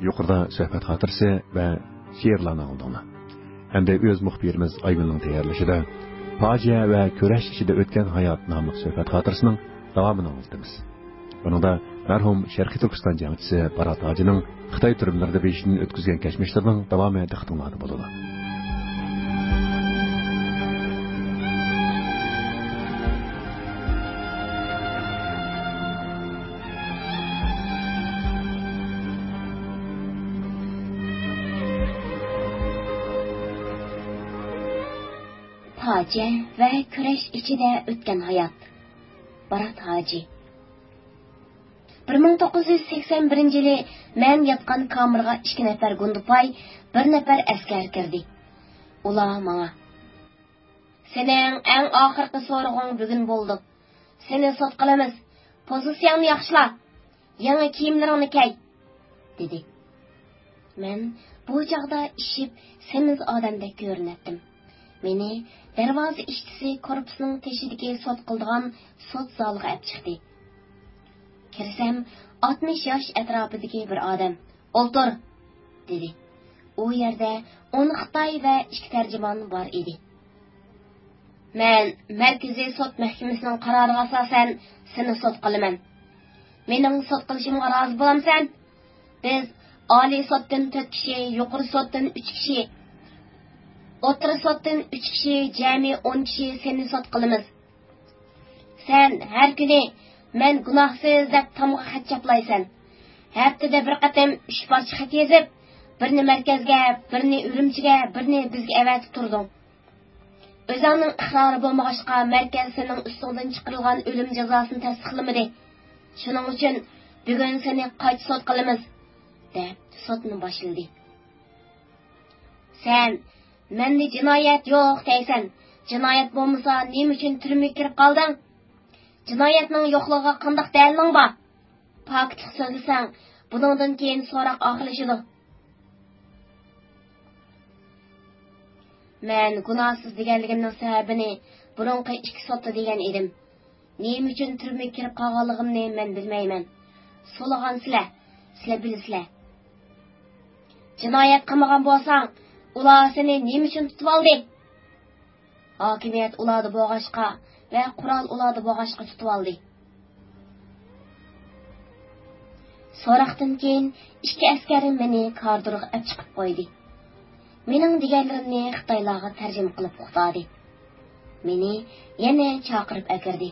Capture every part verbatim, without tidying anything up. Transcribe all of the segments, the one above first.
يۇقىرىدا سۆھبەت خاتىرىسى ۋە شېئىرلارنى ئاڭلىدىڭلار. ئەمدى ئۆز مۇخبىرىمىز ئايگۈلنىڭ تەييارلىشىدا پاجىئە ۋە كۈرەش ئىچىدە ئۆتكەن ھايات ناملىق سۆھبەت خاتىرىسىنىڭ داۋامىنى ئاڭلىتىمىز. بۇنىڭدا مەرھۇم شەرقىي تۈركىستان جەڭچىسى بارات ھاجىنىڭ خىتاي تۈرمىلىرىدە بېشىدىن ئۆتكۈزگەن كەچمىشلىرىنىڭ داۋامى دىققىتىڭلاردا بولىدۇ. پاجىئە ۋە كۈرەش ئىچىدە ئۆتكەن ھايات. بارات ھاجى. بىر مىڭ توققۇز يۈز سەكسەن بىرىنچى يىلى مەن ياتقان كامېرغا ئىككى نەپەر گۇندىپاي، بىر نەپەر ئەسكەر كىردى. ئۇلار ماڭا، «سېنىڭ ئەڭ ئاخىرقى سورىقىڭ بۈگۈن بولدى. سېنى سوت قىلىمىز. پوزىتسىيەڭنى ياخشىلا. يېڭى كىيىملىرىڭنى كىي» دېدى. مەن بۇ چاغدا ئىششىپ، سېمىز ئادەمدەك كۆرۈنەتتىم. مېنى دەرۋازا ئىشچىسى كورپۇسنىڭ تېشىدىكى سوت قىلىدىغان سوت زالىغا ئەپ چىقتى. كىرسەم، ئاتمىش ياش ئەتراپىدىكى بىر ئادەم، «ئولتۇر» دېدى. ئۇ يەردە ئون خىتاي ۋە ئىككى تەرجىمان بار ئىدى. «مەن مەركىزىي سوت مەھكىمىسىنىڭ قارارىغا ئاساسەن سېنى سوت قىلىمەن. مېنىڭ سوت قىلىشىمغا رازى بولامسەن؟ بىز ئالىي سوتتىن تۆت كىشى، يۇقىرى سوتتىن ئۈچ كىشى، ئوتتۇرا سوتتىن ئۈچ كىشى، جەمئىي ئون كىشى سېنى سوت قىلىمىز. سەن ھەر كۈنى مەن گۇناھسىز دەپ تامغا خەت چاپلايسەن. ھەپتىدە بىر قېتىم ئۈچ پارچە خەت يېزىپ، بىرنى مەركەزگە، بىرنى ئۈرۈمچىگە، بىرنى بىزگە ئەۋەتىپ تۇردۇڭ. ئۆزۈڭنىڭ ئىقرارى بولمىغاچقا، مەركەز سېنىڭ ئۈستۈڭدىن چىقىرىلغان ئۆلۈم جازاسىنى تەستىقلىمىدى. شۇنىڭ ئۈچۈن بۈگۈن سېنى قايتا سوت قىلىمىز» دەپ سوتنى باشلىدى. «سەن مەندە جىنايەت يوق دەيسەن. جىنايەت بولمىسا نېمە ئۈچۈن تۈرمىگە كىرىپ قالدىڭ؟ جىنايەتنىڭ يوقلۇقىغا قانداق دەلىلىڭ بار؟ پاكىتلىق سۆزلىسەڭ، بۇنىڭدىن كېيىن سوراق ئاخىرلىشىدۇ.» مەن گۇناھسىز دېگەنلىكىمنىڭ سەۋەبىنى بۇرۇنقى ئىككى سوتتا دېگەن ئىدىم. نېمە ئۈچۈن تۈرمىگە كىرىپ قالغانلىقىمنى مەن بىلمەيمەن. سولىغان سىلەر، سىلەر بىلىسىلەر. جىنايەت قىلمىغان بولساڭ، ئۇلار سېنى نېمە ئۈچۈن تۇتۇۋالدى؟ ھاكىمىيەت ئۇلاردا بولغاچقا ۋە قورال ئۇلاردا بولغاچقا تۇتۇۋالدى. سوراقتىن كېيىن ئىككى ئەسكەر مېنى كارىدورغا ئەپ چىقىپ قويدى. مېنىڭ دېگەنلىرىمنى خىتايلارغا تەرجىمە قىلىپ ئۇقتۇردى. مېنى يەنە چاقىرىپ ئەكىردى.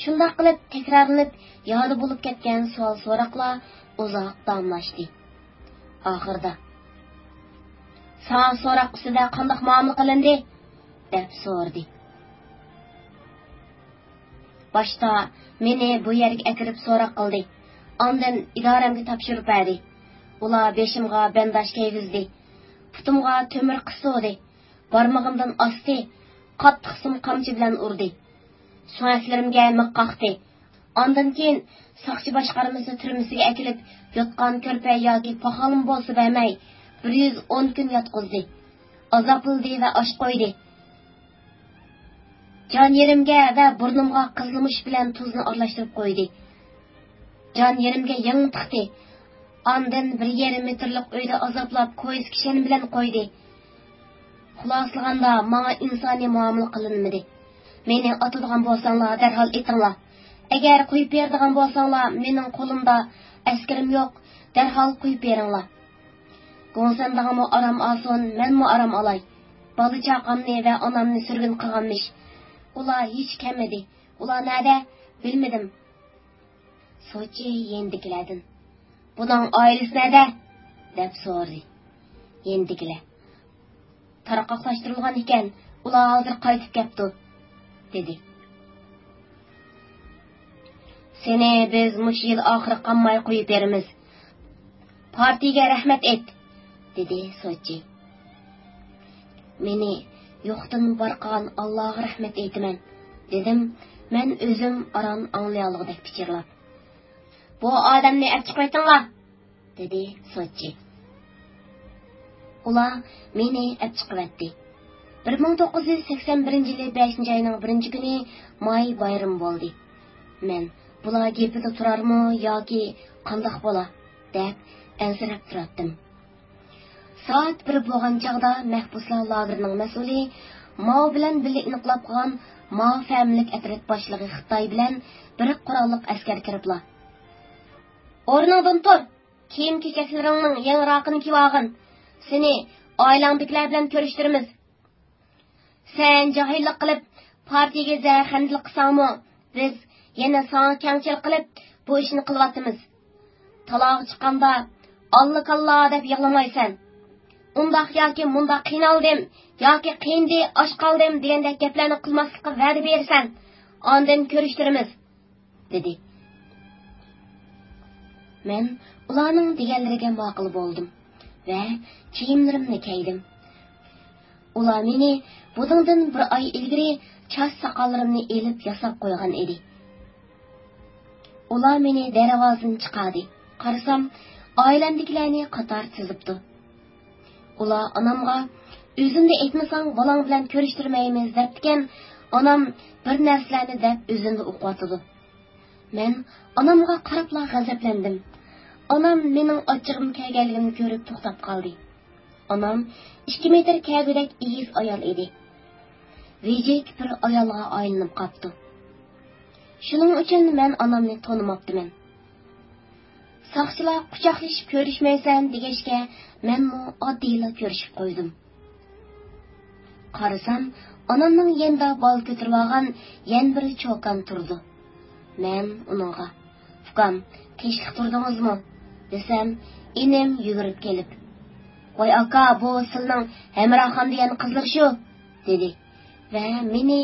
شۇنداق قىلىپ تەكرارلىنىپ يادى بولۇپ كەتكەن سوئال-سوراقلار ئۇزاق داۋاملاشتى. ئاخىرىدا، «ساڭا سوراق ئۈستىدە قانداق مۇئامىلە قىلىندى؟» دەپ سورىدى. باشتا مېنى بۇ يەرگە ئەكىرىپ سوراق قىلدى. ئاندىن ئىدارەمگە تاپشۇرۇپ بەردى. ئۇلار بېشىمغا بەنداژ كىيگۈزدى. پۇتۇمغا تۆمۈر قىستۇردى. بارمىقىمدىن ئاستى، قاتتىق سىم قامچا بىلەن ئۇردى. سۆڭەكلىرىمگە مىخ قاقتى. ئاندىن كېيىن ساقچى باشقارمىسى تۈرمىسىگە ئەكېلىپ، يوتقان-كۆرپە ياكى پاخالمۇ بولسا بەرمەي، بىر يۈز ئون كۈن ياتقۇزدى. ئازابلىدى ۋە ئاچ قويدى. جان يېرىمگە ۋە بۇرنۇمغا قىزىلمۇچ بىلەن تۇزنى ئارىلاشتۇرۇپ قويدى. جان يېرىمگە يىڭنە تىقتى. ئاندىن بىر يېرىم مېتىرلىق ئۆيدە ئازابلاپ، كويزا كىشەن بىلەن قويدى. خۇلاسىلىغاندا، ماڭا ئىنسانىي مۇئامىلە قىلىنمىدى. مېنى ئاتىدىغان بولساڭلار، دەرھال ئېتىڭلار. ئەگەر قويۇپ بېرىدىغان بولساڭلار، مېنىڭ قولۇمدا ئەسكىرىم يوق، دەرھال قويۇپ بېرىڭلار. گوڭسەندىڭمۇ ئارام ئالسۇن، مەنمۇ ئارام ئالاي. بالا-چاقامنى ۋە ئانامنى سۈرگۈن قىلغانمىش. ئۇلار ھېچ كەلمىدى. ئۇلار نەدە؟ بىلمىدىم. سوتچى يېنىدىكىلەردىن، «بۇنىڭ ئائىلىسى نەدە؟» دەپ سورىدى. يېنىدىكىلەر، «تارقاقلاشتۇرۇلغان ئىكەن، ئۇلار ھازىر قايتىپ كەپتۇ» دېدى. «سېنى بىز مۇشۇ يىل ئاخىرى قالماي قويۇپ بېرىمىز. پارتىيىگە رەھمەت ئېيت» دېدى سوتچى. «مېنى يوقتىن بار قىلغان ئاللاغا رەھمەت ئېيتىمەن» دېدىم مەن ئۆزۈم ئاران ئاڭلىيالىغۇدەك پىچىرلاپ. «بۇ ئادەمنى ئەپ چىقىۋېتىڭلار» دېدى سوتچى. ئۇلار مېنى ئەپ چىقىۋەتتى. بىر مىڭ توققۇز يۈز سەكسەن بىرىنچى يىلى بەشىنچى ئاينىڭ بىرىنچى كۈنى ماي بايرىمى بولدى. مەن، «بۇلار گېپىدە تۇرارمۇ ياكى قانداق بولا؟» دەپ، ئەنسىرەپ تۇراتتىم. سائەت بىر بولغان چاغدا مەھبۇسلار لاگېرىنىڭ مەسئۇلى، ماۋ بىلەن بىللە ئىنقىلاب قىلغان ماۋ فەمىلىك ئەترەت باشلىقى خىتاي بىلەن بىر قوراللىق ئەسكەر كىرىپلا، «ئورنۇڭدىن تۇر! كىيىم-كېچەكلىرىڭنىڭ يېڭىراقىنى كىيىۋالغىن! سېنى ئائىلەڭدىكىلەر بىلەن كۆرۈشتۈرىمىز. سەن جاھىللىق قىلىپ، پارتىيىگە زەھەرخەندىلىك قىلساڭمۇ، بىز يەنە ساڭا كەڭچىلىك قىلىپ، بۇ ئىشنى قىلىۋاتىمىز. تالاغا چىققاندا، ئاللا-كاللا دەپ يىغلىمايسەن. ئۇنداق ياكى مۇنداق قىينالدىم ياكى قىينىدى، ئاچ قالدىم دېگەندەك گەپلەرنى قىلماسلىققا ۋەدە بېرىسەن. ئاندىن كۆرۈشتۈرىمىز.» دېدى. مەن ئۇلارنىڭ دېگەنلىرىگە ماقۇل بولدۇم ۋە كىيىملىرىمنى كىيدىم. ئۇلار مېنى بۇنىڭدىن بىر ئاي ئىلگىرى چاچ ساقاللىرىمنى ئېلىپ ياساپ قويغان ئىدى. ئۇلار مېنى دەرۋازىدىن چىقاردى. قارىسام، ئائىلەمدىكىلەرنى قاتار تىزىپتۇ. ئۇلار ئانامغا، «ئۆزۈڭنى ئېيتمىساڭ، بالاڭ بىلەن كۆرۈشتۈرمەيمىز» دەپتىكەن. ئانام بىر نەرسىلەرنى دەپ ئۆزىنىلا ئوقۇۋاتىدۇ. مەن ئانامغا قاراپلا غەزەپلەندىم. ئانام مېنىڭ ئاچچىقىم كەلگەنلىكىنى كۆرۈپ توختاپ قالدى. ئانام ئىككى مېتىر كەلگۈدەك ئېگىز ئايال ئىدى. ۋىجىك بىر ئايالغا ئايلىنىپ قاپتۇ. شۇنىڭ ئۈچۈن مەن ئانامنى تونۇماپتىمەن. ساقچىلار قۇچاقلىشىپ كۆرۈشمەيسەن دېگەچكە، مەنمۇ ئاددىيلا كۆرۈشۈپ قويدۇم. قارىسام، ئانامنىڭ يېنىدا بالا كۆتۈرۈۋالغان يەنە بىر چوكان تۇرىدۇ. مەن ئۇنىڭغا، «ئۇكام، تىنچلىق تۇردىڭىزمۇ؟» دېسەم، ئىنىم يۈگۈرۈپ كېلىپ، «ۋاي ئاكا، بۇ سىلىنىڭ ھەمراخان دېگەن قىزلىرى شۇ» دېدى ۋە مېنى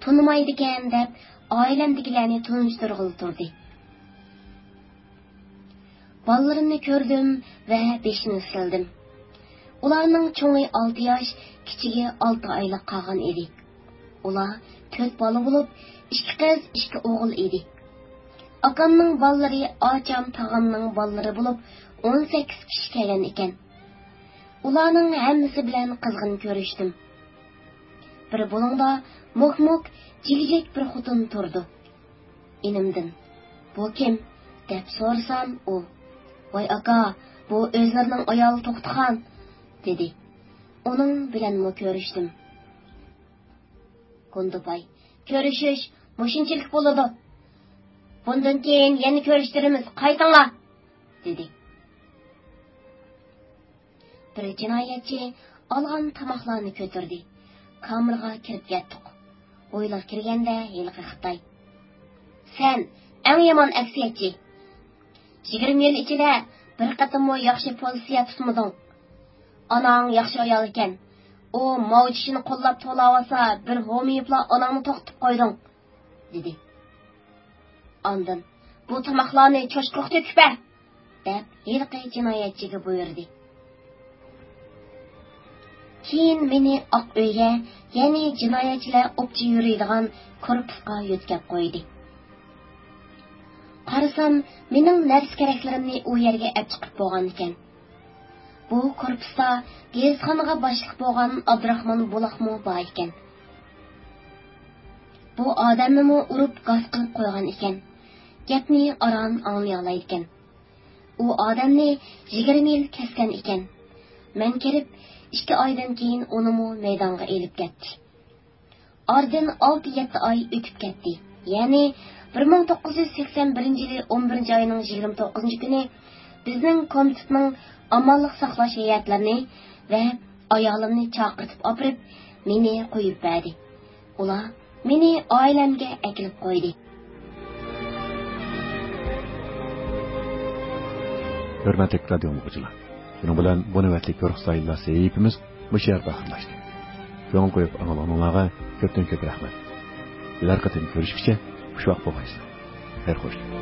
تونۇمايدىكەن دەپ ئائىلەمدىكىلەرنى تونۇشتۇرغىلى تۇردى. بالىلىرىمنى كۆردۈم ۋە بېشىنى سىلىدىم. ئۇلارنىڭ چوڭى ئالتە ياش، كىچىكى ئالتە ئايلىق قالغان ئىدى. ئۇلار تۆت بالا بولۇپ، ئىككى قىز، ئىككى ئوغۇل ئىدى. ئاكامنىڭ بالىلىرى ئاچام تاغامنىڭ بالىلىرى بولۇپ، ئون سەككىز كىشى كەلگەن ئىكەن. ئۇلارنىڭ ھەممىسى بىلەن قىزغىن كۆرۈشتۈم. بىر بۇلۇڭدا موك-موك، جىگجىك بىر خوتۇن تۇرىدۇ. ئىنىمدىن، «بۇ كىم؟» دەپ سورىسام، ئۇ، «ۋاي ئاكا، بۇ ئۆزلىرىنىڭ ئايالى توختىخان» دېدى. ئۇنىڭ بىلەنمۇ كۆرۈشتۈم. «گۇندىپاي، كۆرۈشۈش مۇشۇنچىلىك بولىدۇ. بۇندىن كېيىن يەنە كۆرۈشتۈرىمىز، قايتىڭلار» دېدى. بىر جىنايەتچى ئالغان تاماقلارنى كۆتۈردى. كامېرغا كىرىپ ياتتۇق. ھويلىغا كىرگەندە ھېلىقى خىتاي، «سەن ئەڭ يامان ئەكسىيەتچى. يىگىرمە يىل ئىچىدە بىر قېتىممۇ ياخشى پوزىتسىيە تۇتمىدىڭ. ئاناڭ ياخشى ئايال ئىكەن. ئۇ ماۋچىشىنى قوللاپ توۋلاۋاتسا، بىر ھومىيىپلا ئاناڭنى توختىتىپ قويدۇڭ» دېدى. ئاندىن، «بۇ تاماقلارنى چوشقىغا تۆكۈپ بەر» دەپ، ھېلىقى جىنايەتچىگە بۇيرۇدى. كېيىن مېنى ئاق ئۆيگە، يەنى جىنايەتچىلەر ئوپچە يۈرىدىغان كورپۇسقا يۆتكەپ قويدى. قارىسام، مېنىڭ نەرسە-كېرەكلىرىمنى ئۇ يەرگە ئەپ چىقىپ بولغانىكەن. بۇ كورپۇستا گېزىتخانىغا باشلىق بولغان ئابدۇراخمان بۇلاقمۇ بار ئىكەن. بۇ ئادەمنىمۇ ئۇرۇپ گاس قىلىپ قويغان ئىكەن. گەپنى ئاران ئاڭلىيالايدىكەن. ئۇ ئادەمنى يىگىرمە يىل كەسكەن ئىكەن. مەن كىرىپ، ئىككى ئايدىن كېيىن ئۇنىمۇ مەيدانغا ئېلىپ كەتتى. ئارىدىن ئالتە-يەتتە ئاي ئۆتۈپ كەتتى. يەنى بىر مىڭ توققۇز يۈز سەكسەن بىرىنچى يىلى ئون بىرىنچى ئاينىڭ يىگىرمە توققۇزىنچى كۈنى بىزنىڭ كومىتېتنىڭ ئامانلىق ساقلاش ھەيئەتلىرىنى ۋە ئايالىمنى چاقىرتىپ ئاپىرىپ، مېنى قويۇپ بەردى. ئۇلار مېنى ئائىلەمگە ئەكېلىپ قويدى. ھۆرمەتلىك رادىيو ئاڭلىغۇچىلار، شۇنىڭ بىلەن بۇ نۆۋەتلىك يورۇق ساھىللار سەھىپىمىز مۇشۇ يەردە ئاخىرلاشتى. كۆڭۈل قويۇپ ئاڭلىغىنىڭلارغا كۆپتىن كۆپ رەھمەت. كېلەر قېتىم كۆرۈشكىچە خۇشۋاق بولغايسىلەر. خەير خوش.